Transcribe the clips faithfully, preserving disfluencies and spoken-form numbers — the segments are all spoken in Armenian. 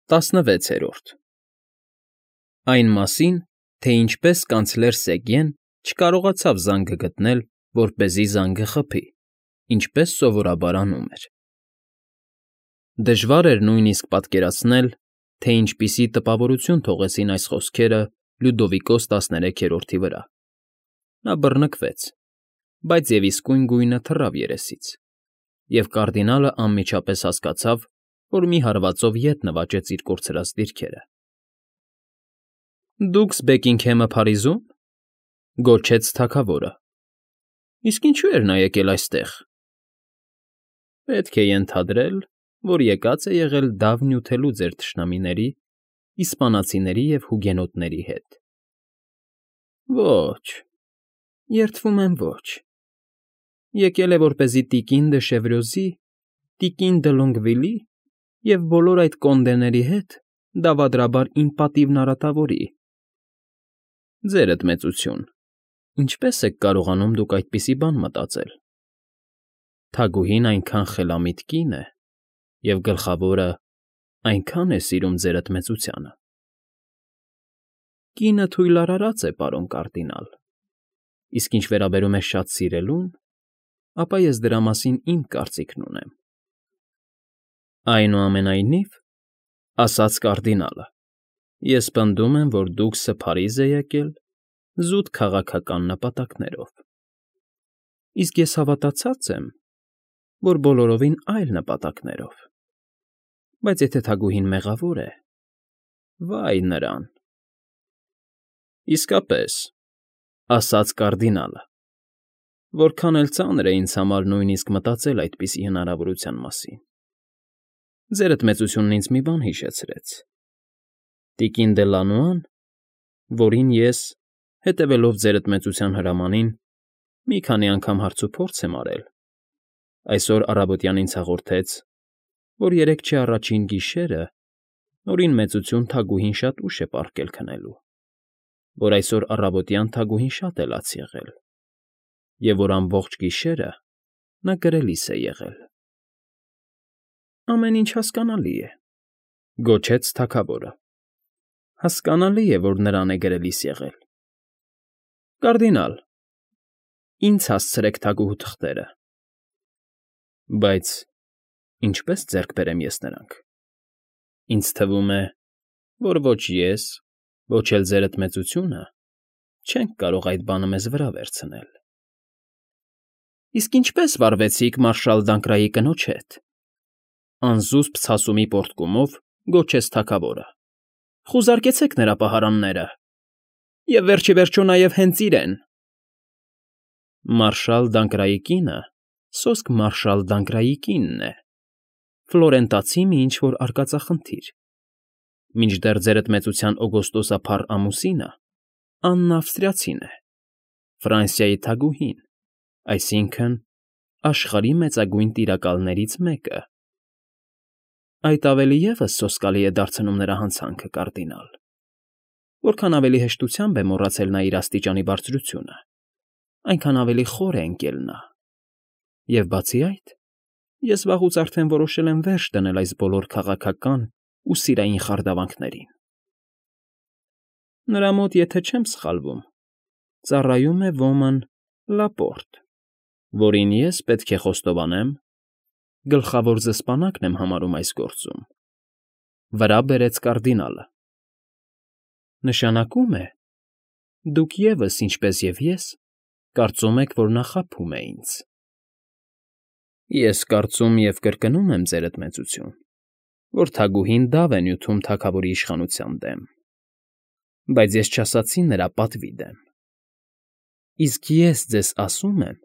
Տասնվեցերորդ Այն մասին, թե ինչպես կանցլեր Սեգեն չկարողացավ զանգը գտնել, որպեսզի զանգը խփի, ինչպես սովորաբար անում էր. Դժվար էր նույնիսկ պատկերացնել, թե ինչպիսի տպավորություն թողեցին այս խոսքերը Լյուդովիկոս տասներեքերորդի վրա. նա բռնկվեց, բայց և իսկույն գույնը թռավ երեսից, և կարդինալը անմիջապես հասկացավ, որ մի հարվածով ետ նվաճեց իր կորցրած դիրքերը։ ֊ Դուքս Բեքինգհեմը Փարիզո՞ւմ,֊ գոչեց թագավորը։ ֊ Իսկ ինչո՞ւ էր նա եկել այստեղ։ ֊ Պետք է ենթադրել, որ եկած է եղել դավ նյութելու ձեր թշնամիների՝ իսպանացիների և հուգենոտների հետ։ ֊ Ոչ, երդվում եմ, ոչ. եկել է որպեսզի տիկին դը Շևրոզի, տիկին դը Լոնգվիլի և բոլոր այդ կոնդեների հետ դավադրաբար իմ պատիվն արատավորի։ ֊ Ձերդ մեծություն, ինչպե՞ս եք կարողանում դուք այդպիսի բան մտածել։ Թագուհին այնքան խելամիտ կին է, և գլխավորը, այնքան է սիրում ձերդ մեծությանը։ ֊ Կինը թույլարարած է, պարոն կարդինալ, իսկ ինչ վերաբերում է շատ սիրելուն, ապա ես դրա մասին իմ կարծիքն ունեմ։ ֊ Այնուամենայնիվ, ֊ ասաց կարդինալը, ֊ ես պնդում եմ, որ դուքսը Փարիզ է եկել զուտ քաղաքական նպատակներով, իսկ ես հավատացած եմ, որ բոլորովին այլ նպատակներով, բայց եթե թագուհին մեղավոր է, վա՜յ նրան։ ֊ Իսկապես, ֊ ասաց կարդինալը, ֊ որքան էլ ծանր է ինձ համար նույնիսկ մտածել այդպիսի հնարավորության մասին։ Ձերդ մեծությունն ինձ մի բան հիշեցրեց. տիկին դե Լանուան, որին ես, հետևելով ձերդ մեծության հրամանին, մի քանի անգամ հարցուփորձ եմ արել, այսօր առավոտյան ինձ հաղորդեց, որ երեկ չէ առաջին գիշերը Նորին մեծություն թագուհին շատ ուշ է պառկել քնելու, որ այսօր առավոտյան թագուհին շատ է լաց եղել, և որ ամբողջ գիշերը նա գրելիս է եղել։ ֊ Ամեն ինչ հասկանալի է, ֊ գոչեց թագավորը։ Հասկանալի է, որ նրան է գրելիս եղել։ ֊ Կարդինալ, ինձ հասցրեք թագուհու թղթերը։ ֊ Բայց ինչպե՞ս ձեռք բերեմ ես նրանք։ Ինձ թվում է, որ ոչ ես, ոչ էլ ձերդ մեծությունը չենք կարող այդ բանը մեզ վրա վերցնել։ ֊ Իսկ ինչպե՞ս վարվեցիք մարշալ Դանկրայի կնոջ հետ,֊ անզուսպ ցասումի պոռթկումով գոչեց թագավորը։ ֊ Խուզարկեցեք նրա պահարանները, և վերջ ի վերջո նաև հենց իրեն։ ֊ Մարշալ Դանկրայի կինը սոսկ մարշալ Դանկրայի կինն է, ֆլորենտացի մի ինչ֊որ արկածախնդիր, մինչդեռ ձերդ մեծության օգոստոսափառ ամուսինը Աննա Ավստրիացին է, Ֆրանսիայի թագուհին, այսինքն՝ աշխարհի մեծագույն տիրակալներից մեկը։ ֊ Այդ ավելի ևս սոսկալի է դարձնում նրա հանցանքը, կարդինալ. որքան ավելի հեշտությամբ է մոռացել նա իր աստիճանի բարձրությունը, այնքան ավելի խոր է ընկել նա, և բացի այդ, ես վաղուց արդեն որոշել եմ վերջ դնել այս բոլոր քաղաքական ու սիրային խարդավանքներին։ Նրա մոտ, եթե չեմ սխալվում, ծառայում է ոմն Լապորտ, որին ես, պետք է խոստովանեմ, գլխավոր զսպանակն եմ համարում այս գործում,֊ վրա բերեց կարդինալը։ ֊ Նշանակում է, դուք ևս, ինչպես և ես, կարծում եք, որ նա խաբում է ինձ։ ֊ Ես կարծում և կրկնում եմ, ձերդ մեծություն, որ թագուհին դավ է նյութում թագավորի իշխանության դեմ, բայց ես չասացի նրա պատվի դեմ։ Իսկ ես ձեզ ասում եմ,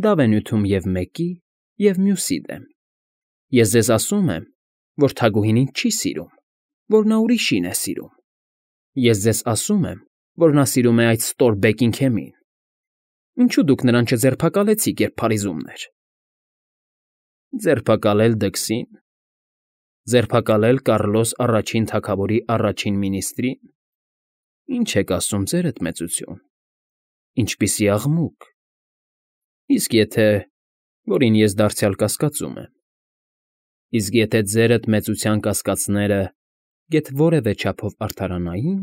դավ է նյութում և մեկի, և մյուսի դեմ։ Ես ձեզ ասում եմ, որ թագուհին ինձ չի սիրում, որ նա ուրիշին է սիրում։ Ես ձեզ ասում եմ, որ նա սիրում է այդ ստոր Բեքինգհեմին։ Ինչո՞ւ դուք նրան չձերբակալեցիք, երբ Փարիզումն էր։ ֊ Ձերբակալել Դքսի՞ն, ձերբակալել Կառլոս առաջին թագավորի առաջին մինիստրի՞ն։ Ինչ եք ասում, ձերդ մեծություն, ինչպիսի աղմուկ։ Իսկ եթե, որին ես դարձյալ կասկածում եմ, իսկ եթե ձերդ մեծության կասկածները գեթ որևէ չափով արդարանային,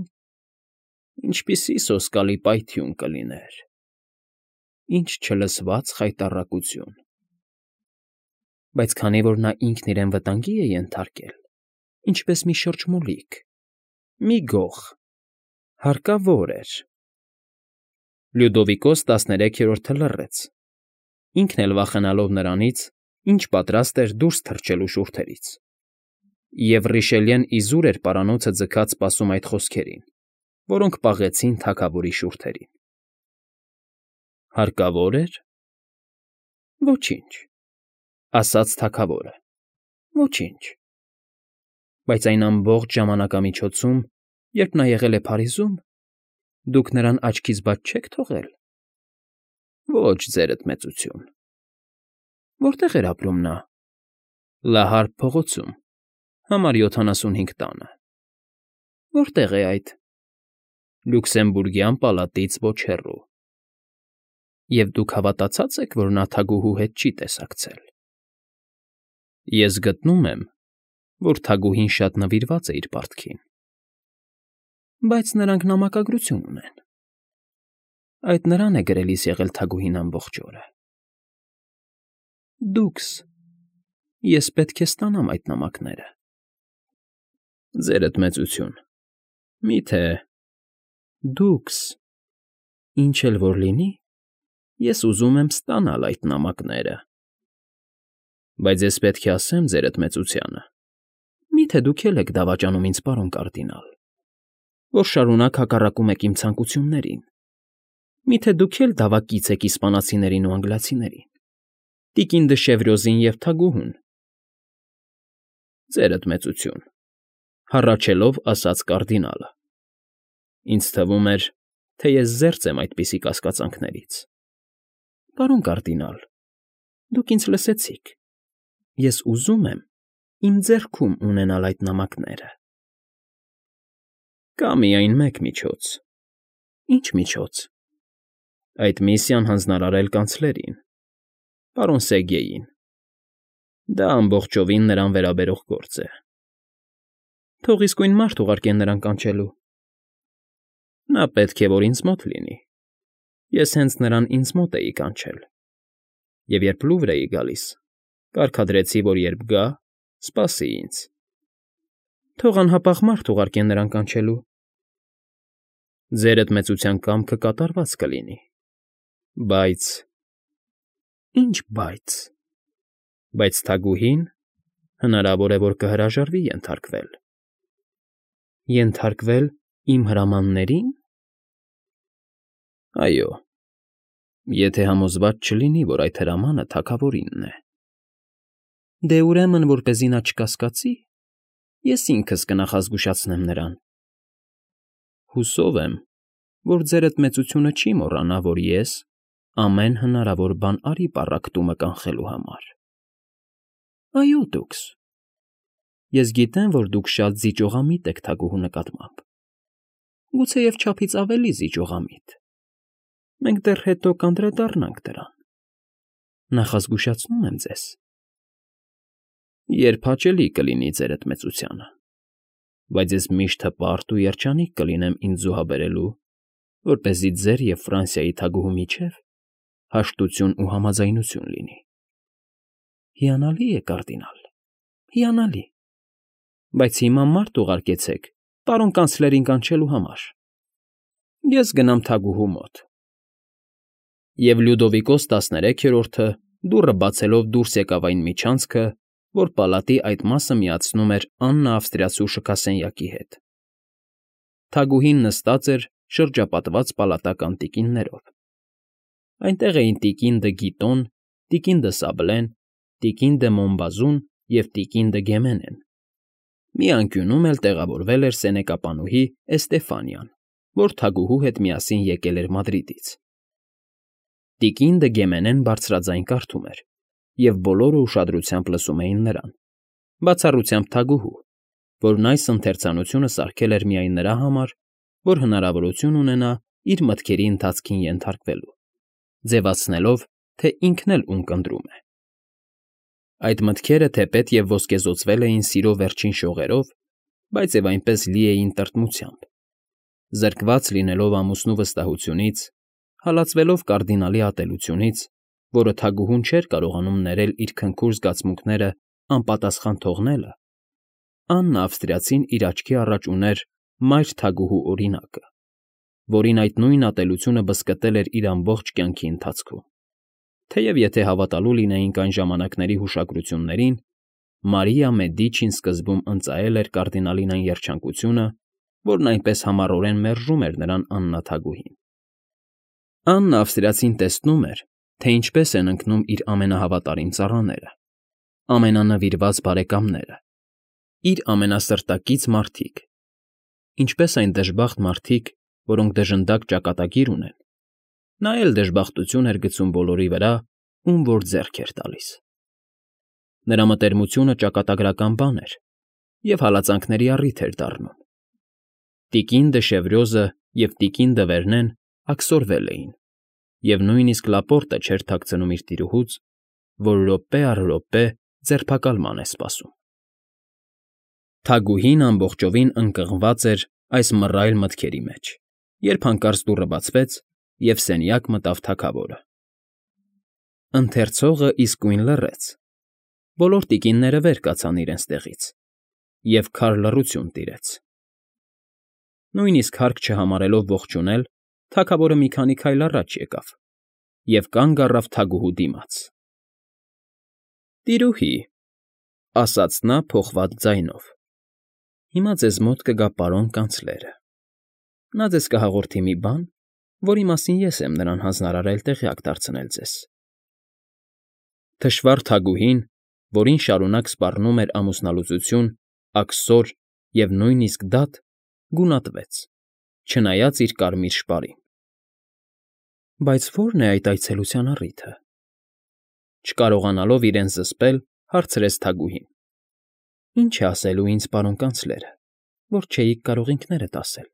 ինչպիսի սոսկալի պայթյուն կլիներ, ինչ չլսված խայտառակություն… Բայց քանի որ նա ինքն իրեն վտանգի է ենթարկել, ինչպես մի շրջմուլիկ, մի գող, հարկավոր էր… Լյուդովիկոս տասներեքերորդը լռեց, ինքն էլ վախենալով նրանից, ինչ պատրաստ էր դուրս թռչելու շուրթերից, և Ռիշելյեն իզուր էր պարանոցը ձգած սպասում այդ խոսքերին, որոնք պաղեցին թագավորի շուրթերին։ Հարկավո՞ր էր… Ոչինչ, ասաց թագավորը, ոչինչ… Բայց այն ամբողջ ժամանակամիջոցում, երբ նա եղել է Փարիզում, դուք նրան աչքից բաց չե՞ք թողել։ Ոչ, ձերդ մեծություն… Որտե՞ղ էր ապրում նա։ Լահարկ փողոցում, համար յոթանասունհինգ տանը։ Որտե՞ղ է այդ։ Լյուքսեմբուրգյան պալատից ոչ հեռու։ Եվ դուք հավատացած եք, որ նա թագուհու հետ չի տեսակցել։ Ես գտնում եմ, որ թագուհին շատ նվիրված է իր պարտքին։ Բայց նրանք նամակագրություն ունեն… Այդ նրան է գրելիս եղել թագուհին ամբողջ օրը։ Դուքս… Ես պետք է ստանամ այդ նամակները։ Ձերդ մեծություն… Մի՞թե… Դուքս… Ինչ էլ որ լինի, ես ուզում եմ ստանալ այդ նամակները։ Բայց ես պետք է ասեմ ձերդ մեծությանը… Մի՞թե դուք էլ եք դավաճանում ինձ, պարոն կարդինալ, որ շարունակ հակառակում եք իմ ցանկություններին… Մի՞թե դուք էլ դավակից եք իսպանացիներին ու անգլիացիներին, տիկին դը Շևրոզին և թագուհուն… Ձերդ մեծություն… Հառաչելով ասաց կարդինալը… Ինձ թվում էր, թե ես զերծ եմ այդպիսի կասկածանքներից… Պարոն կարդինալ, դուք ինձ լսեցիք… Ես ուզում եմ իմ ձեռքում ունենալ այդ նամակները… Կա միայն մեկ միջոց… Ի՞նչ միջոց։ Այդ միսիան հանձնարարել կանցլերին, պարոն Սերգեյին… Դա ամբողջովին նրան վերաբերող գործ է… Թող իսկույն մարդ ուղարկեն նրան կանչելու… Նա պետք է որ ինձ մոտ լինի… Ես հենց նրան ինձ մոտ էի կանչել… Եվ երբ Լուվր էի գալիս, կարգադրեցի, որ երբ գա, սպասի ինձ… Թող անհապաղ մարդ ուղարկեն նրան կանչելու… Ձերդ մեծության կամքը կատարված կլինի… Բայց… Ի՞նչ բայց… Բայց թագուհին, հնարավոր է, որ կհրաժարվի ենթարկվել… Ենթարկվե՞լ իմ հրամանների՞ն… Այո… Եթե համոզված չլինի, որ այդ հրամանը թագավորինն է… Դե, ուրեմն, որպեսզի նա չկասկածի, ես ինքս կնախազգուշացնեմ նրան… Հուսով եմ, որ ձերդ մեծությունը չի մոռանա, որ ես ամեն հնարավոր բան արի պառակտումը կանխելու համար… Այո, դուքս… Ես գիտեմ, որ դուք շատ զիջողամիտ եք թագուհու նկատմամբ… Գուցեև չափից ավելի զիջողամիտ… Մենք դեռ հետո կանդրադառնանք դրան… Նախազգուշացնում եմ ձեզ… Երբ հաճելի կլինի ձերդ մեծությանը… Բայց ես միշտ հպարտ ու երջանիկ կլինեմ ինձ զոհաբերելու, որպեսզի ձեր և Ֆրանսիայի թագուհու միջև հաշտություն ու համաձայնություն լինի… Հիանալի է, կարդինալ, հիանալի… Բայց հիմա մարդ ուղարկեցեք պարոն կանցլերին կանչելու համար… Ես գնամ թագուհու մոտ… Եվ Լյուդովիկոս տասներեքերորդը դուռը բացելով դուրս եկավ այն միջանցքը, որ պալատի այդ մասը միացնում էր Աննա Ավստրիացու շքասենյակի հետ… Թագուհին նստած էր շրջապատված պալատական տիկիններով… Այնտեղ էին տիկին դը Գիտոն, տիկին դը Սաբլեն, տիկին դը Մոնբազուն և տիկին դը Գեմենեն… Մի անկյունում էլ տեղավորվել էր սենեկապանուհի Էստեֆանիան, որ թագուհու հետ միասին եկել էր Մադրիդից… Տիկին դը Գեմենեն բարձրաձայն կարդում էր, և բոլորը ուշադրությամբ լսում էին նրան, բացառությամբ թագուհու, որն այս ընթերցանությունը սարքել էր միայն նրա համար, որ հնարավորություն ունենա իր մտքերի ընթացքին ենթարկվելու, ձևացնելով, թե ինքն էլ ում կընտրում է… Այդ մտքերը թեպետ և ոսկեզօծվել էին սիրո վերջին շողերով բայց և այնպես լի էին տրտմությամբ։ Զրկված լինելով ամուսնու վստահությունից, հալածվելով կարդինալի ատելությունից, որը թագուհուն չէր կարողանում ներել իր քնքուշ զգացմունքները անպատասխան թողնելը, Աննա Ավստրիացին իր աչքի առաջ ուներ մայր թագուհու օրինակը, որին այդ նույն ատելությունը բզկտել էր իր ամբողջ կյանքի ընթացքում, թեև եթե հավատալու լինեինք այն ժամանակների հուշագրություններին, Մարիա Մեդիչին սկզբում ընծայել էր կարդինալին այն երջանկությունը, որն այնպես համառորեն մերժում էր նրան Աննա թագուհին։ Աննա Ավստրիացին տեսնում էր, թե ինչպես են ընկնում իր ամենահավատարիմ ծառաները, ամենանվիրված բարեկամները, իր ամենասրտակից մարդիկ, ինչպես այն դժբախտ մարդիկ, որոնք դժնդակ ճակատագիր ունեն, նա էլ դժբախտություն էր գցում բոլորի վրա, ում որ ձեռք էր տալիս։ Նրա մտերմությունը ճակատագրական բան էր և հալածանքների առիթ էր դառնում։ Տիկին դը Շևրյոզը և տիկին դը Վերնեն աքսորվել էին, և նույնիսկ Լապորտը չէր թաքցնում իր տիրուհուց, որ րոպե առ րոպե ձերբակալման է սպասում։ Թագուհին ամբողջովին ընկղմված էր այս մռայլ մտքերի մեջ, երբ հանկարծ դուռը բացվեց, և սենյակ մտավ թագավորը։ Ընթերցողը իսկույն լռեց, բոլոր տիկինները վեր կացան իրենց տեղից, և քար լռություն տիրեց։ Նույնիսկ հարկ չհամարելով ողջունել, թագավորը մի քանի քայլ առաջ եկավ և կանգ առավ թագուհու դիմաց։ ֊ Տիրուհի, ֊ ասաց նա փոխված ձայնով, ֊ հիմա ձեզ մոտ կգա պարոն կանցլերը. նա ձեզ կհաղորդի մի բան, որի մասին ես եմ նրան հանձնարարել տեղյակ դարձնել ձեզ։ Թշվառ թագուհին, որին շարունակ սպառնում էր ամուսնալուծություն, աքսոր և նույնիսկ դատ, գունատվեց, չնայած իր կարմիր շպարին։ ֊ Բայց ո՞րն է այդ այցելության առիթը։ Չկարողանալով իրեն զսպել, հարցրեց թագուհին։ ֊ Ինչ է ասելու ինձ պարոն կանցլերը, որ չէիք կարող ինքներդ ասել։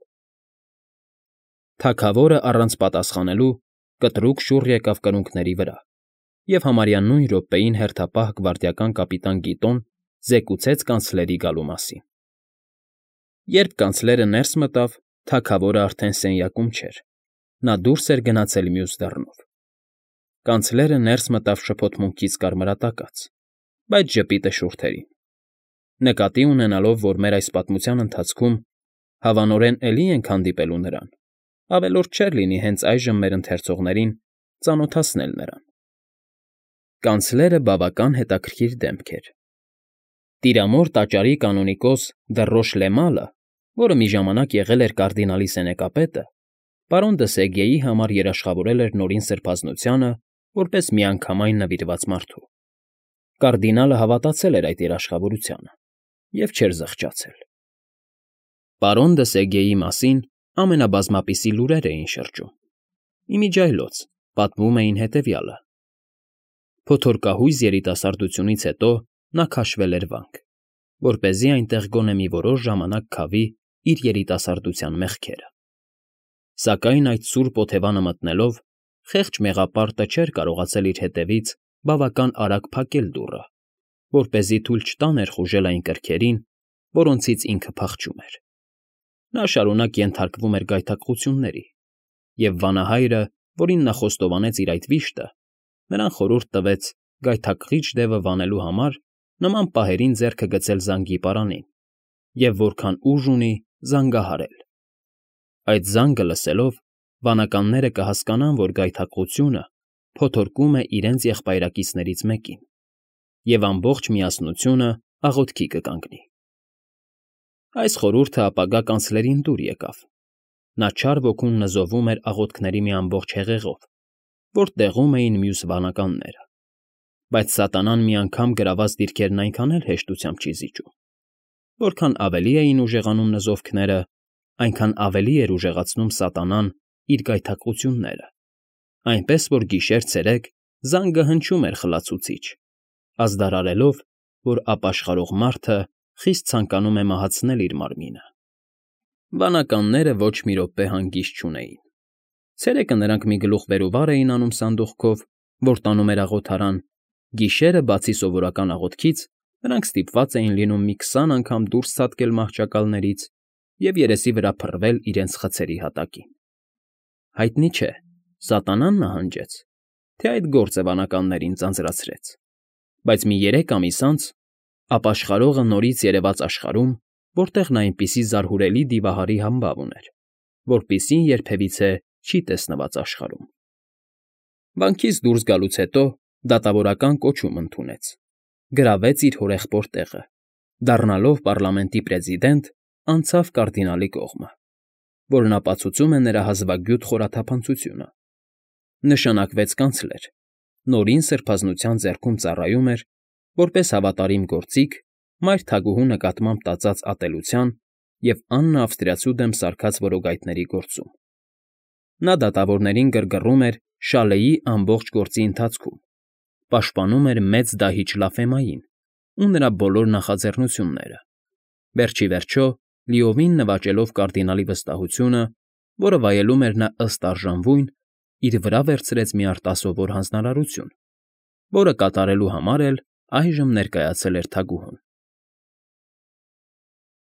Թագավորը առանց պատասխանելու կտրուկ շուռ եկավ կրունկների վրա և համարյա նույն րոպեին հերթապահ գվարդիական կապիտան Կիտոն զեկուցեց կանցլերի գալու մասին։ Երբ կանցլերը ներս մտավ, թագավորը արդեն սենյակում չէր, նա դուրս էր գնացել մյուս դռնով։ Կանցլերը ներս մտավ շփոթմունքից կարմրատակած, բայց ժպիտը շուրթերին։ Նկատի ունենալով, որ մեր այս պատմության ընթացքում հավանորեն էլի ենք հանդիպելու նրան, ավելորդ չէր լինի հենց այժմ մեր ընթերցողներին ծանոթացնել նրան։ Կանցլերը բավական հետաքրքիր դեմք էր։ Տիրամոր տաճարի կանոնիկոս դը Ռոշլեմալը, որը մի ժամանակ եղել էր կարդինալի սենեկապետը, պարոն դը Սեգեի համար երաշխավորել էր Նորին Սրբազնությանը որպես միանգամայն նվիրված մարդու։ Կարդինալը հավատացել էր այդ երաշխավորությանը և չէր զղջացել։ Պարոն դը Սեգեի մասին ամենաբազմապիսի լուրեր էին շրջում։ Իմիջիայլոց պատմում էին հետևյալը. Փոթորկահույզ երիտասարդությունից հետո նա քաշվել էր վանք, որպեսզի այնտեղ գոնե մի որոշ ժամանակ քավի իր երիտասարդության մեղքերը։ Սակայն այդ սուրբ օթևանը մտնելով, խեղճ մեղապարտը չէր կարողացել իր հետևից բավական արագ փակել դուռը, որպեսզի թույլ չտա ներխուժել այն կրքերին, որոնցից ինքը փախչում էր։ Նա շարունակ ենթարկվում էր գայթակղությունների, և վանահայրը, որին նա խոստովանեց իր այդ վիշտը, նրան խորհուրդ տվեց գայթակղիչ դևը վանելու համար նման պահերին ձեռքը գցել զանգի պարանին և որքան ուժ ունի, զանգահարել։ Այդ զանգը լսելով, վանականները կհասկանան, որ գայթակղությունը փոթորկում է իրենց եղբայրակիցներից մեկին, և ամբողջ միասնությունը աղոթքի կկանգնի։ Այս խորհուրդը ապագա կանցլերին դուր եկավ։ Նա չար ոգուն նզովում էր աղոթքների մի ամբողջ հեղեղով, որ տեղում էին մյուս վանականները։ Բայց սատանան մի անգամ գրաված դիրքերն այնքան էլ հեշտությամբ չի զիջում։ Որքան ավելի էին ուժեղանում նզովքները, այնքան ավելի էր ուժեղացնում սատանան իր գայթակղությունները, այնպես որ գիշեր֊ցերեկ զանգը հնչում էր խլացուցիչ, ազդարարելով, որ ապաշխարող մարդը խիստ ցանկանում է մահացնել իր մարմինը։ Վանականները ոչ մի րոպե հանգիստ չունեին։ Ցերեկը նրանք մի գլուխ վեր ու վար էին անում սանդուղքով, որ տանում էր աղոթարան, գիշերը, բացի սովորական աղոթքից, Նրանք ստիպված էին լինում մի քսան անգամ դուրս ցատկել մահճակալներից և երեսի վրա փռվել իրենց խցերի հատակին։ Հայտնի չէ, սատանան նահանջեց, թե այդ գործը վանականներին ձանձրացրեց, բայց մի երեք ամիս անց ապաշխարողը նորից երևաց աշխարհում, որտեղ նա այնպիսի զարհուրելի դիվահարի համբավ ուներ, որպիսին երբևիցե չի տեսնված աշխարհում։ Վանքից դուրս գալուց հետո դատավորական կոչում ընդունեց, գրավեց իր հորեղբոր տեղը, դառնալով պառլամենտի պրեզիդենտ, անցավ կարդինալի կողմը, որն ապացուցում է նրա հազվագյուտ խորաթափանցությունը, նշանակվեց կանցլեր, նորին սրբազնության ձեռքում ծառայում էր, որպես հավատարիմ գործիք մայր թագուհու նկատմամբ տածած ատելության և Աննա Ավստրիացու դեմ սարքած որոգայթների գործում։ Նա դատավորներին գրգռում էր Շալեի ամբողջ գործի ընթացքում, պաշտպանում էր մեծ դահիճ Լաֆեմային ու նրա բոլոր նախաձեռնությունները, վերջ ի վերջո լիովին նվաճելով կարդինալի վստահությունը, որը վայելում էր նա ըստ արժանվույն, իր վրա վերցրեց մի արտասովոր հանձնարարություն, որը կատարելու համար էլ այժմ ներկայացել էր թագուհուն։